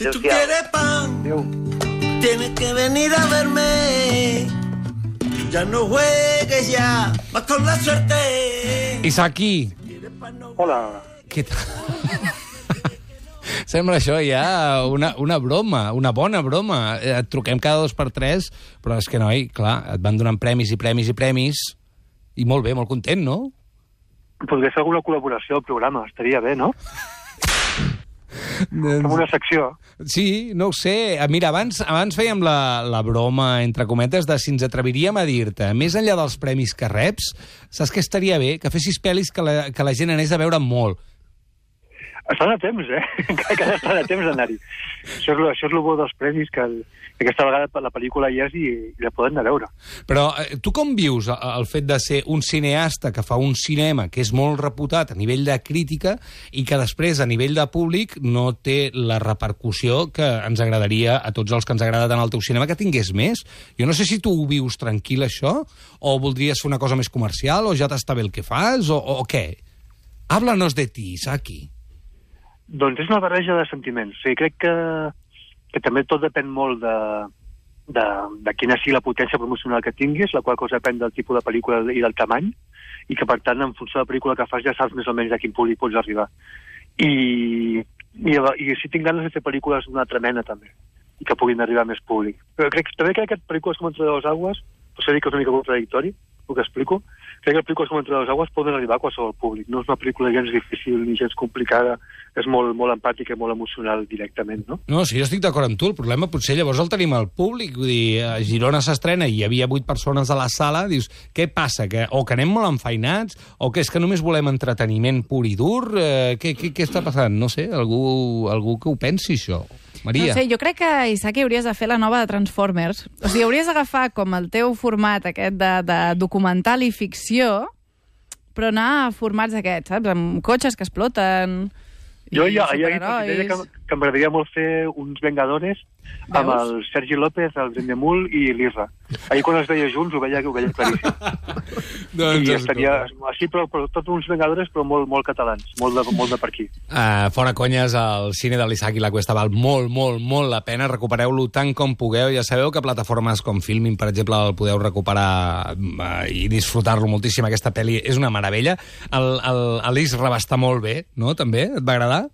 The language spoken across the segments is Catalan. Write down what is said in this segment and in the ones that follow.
Si tú quieres pan, tienes que venir a verme. Ya no juegues ya, vas con la suerte. Isaki. Hola. Què tal? Sembla això ja una broma, una bona broma. Et truquem cada 2 per 3, però és que, noi, clar, et van donant premis i premis i premis, i molt bé, molt content, no? Podria ser alguna col·laboració al programa, estaria bé, no? Com una secció. Sí, no ho sé. Mira, abans fèiem la broma, entre cometes, de si ens atreviríem a dir-te, més enllà dels premis que reps, saps què estaria bé? Que fessis pel·lis que la gent anés a veure molt. Estan a temps, Encara estan a temps d'anar-hi. Això és el bo dels premis, que aquesta vegada la pel·lícula hi és i la poden anar a veure. Però tu com vius el fet de ser un cineasta que fa un cinema que és molt reputat a nivell de crítica i que després, a nivell de públic, no té la repercussió que ens agradaria a tots els que ens agrada tant el teu cinema que tingués més? Jo no sé si tu ho vius tranquil, això, o voldries fer una cosa més comercial, o ja t'està bé el que fas, o què? Háblanos de ti, Isaki. Doncs és una barreja de sentiments. O sigui, crec que també tot depèn molt de quina sigui la potència promocional que tinguis, la qual cosa depèn del tipus de pel·lícula i del tamany, i que, per tant, en funció de la pel·lícula que fas ja saps més o menys a quin públic pots arribar. I si tinc ganes de fer pel·lícules d'una altra mena, també, i que puguin arribar a més públic. Però també crec que pel·lícules com Entre dos aigües, potser dir que és una mica contradictori, el que explico, crec que pel·lícules com Entre dos aigües poden arribar a qualsevol públic. No és una pel·lícula gens difícil ni gens complicada, és molt, molt empàtica i molt emocional directament, no? No, sí, jo estic d'acord amb tu. El problema potser llavors el tenim al públic. Vull dir, a Girona s'estrena i hi havia 8 persones a la sala, dius, què passa? O que anem molt enfeinats, o que és que només volem entreteniment pur i dur? Què està passant? No sé, algú que ho pensi, això. Maria. No sé, jo crec que, Isaki, hauries de fer la nova de Transformers. O sigui, hauries d'agafar com el teu format aquest de documental i ficció, però anar a formats aquests, saps? Amb cotxes que exploten... Jo ja deia que m'agradaria molt fer uns Vengadores amb el Sergi López, el Brindemul i l'Irra. Ahir quan els veia junts ho veia claríssim. I estaria així, però tots uns Vengadores, però molt catalans, molt de per aquí. Fora conyes, el cine de l'Isaki La Cuesta val molt, molt, molt la pena. Recupereu-lo tant com pugueu. Ja sabeu que plataformes com Filmin, per exemple, el podeu recuperar i disfrutar-lo moltíssim. Aquesta pel·li és una meravella. L'Isra va estar molt bé, no? També? Et va agradar?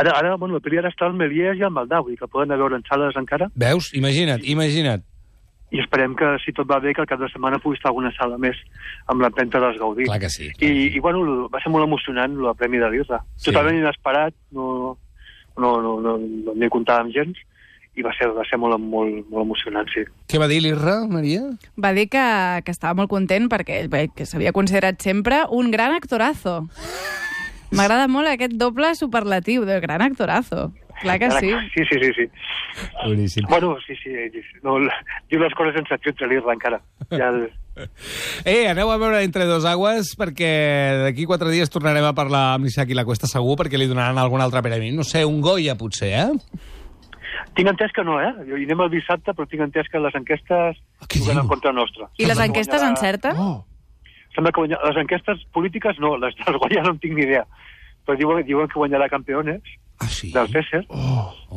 Ara, bueno, la pel·li ara està al Melies i al Maldà, vull dir que poden anar a veure en sales encara. Veus? Imagina't. I esperem que, si tot va bé, que el cap de setmana pugui estar alguna sala més amb l'empenta dels Gaudí. Clar que sí. I bueno, va ser molt emocionant, el Premi de l'Irra. Sí. Totalment inesperat, no n'hi comptàvem gens, i va ser molt emocionant, sí. Què va dir l'Irra, Maria? Va dir que estava molt content perquè que s'havia considerat sempre un gran actorazo. M'agrada molt aquest doble superlatiu de gran actorazo. Clar que sí. Sí. Boníssim. Bueno, sí. No, diu les coses sense filtre, l'Irra, encara. Aneu a veure Entre dos aigües, perquè d'aquí 4 dies tornarem a parlar amb l'Isaki La Cuesta, segur, perquè li donaran algun altre premi. No sé, un Goya, potser, Tinc entès que no, Jo hi anem el dissabte, però tinc entès que les enquestes juguen en contra nostra. I les enquestes encerten? Sembla que les enquestes polítiques no, les dels Goya no en tinc ni idea. Però diuen que guanyarà Campeones del César.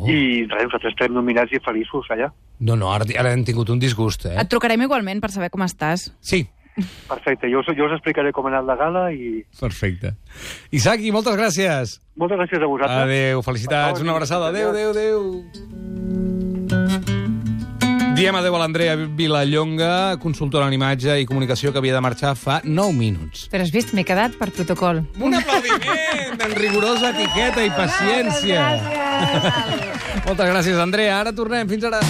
I res, nosaltres estem nominats i feliços allà. No, ara hem tingut un disgust, Et trucarem igualment per saber com estàs. Sí. Perfecte, jo us explicaré com ha anat la gala i... Perfecte. Isaki, moltes gràcies. Moltes gràcies a vosaltres. Adéu, felicitats, una abraçada. Adéu. Diem adéu a l'Andrea Vilallonga, consultora en imatge i comunicació, que havia de marxar fa 9 minuts. Però has vist, m'he quedat per protocol. Un aplaudiment en rigorosa etiqueta i paciència. Moltes gràcies, Andrea. Ara tornem. Fins ara.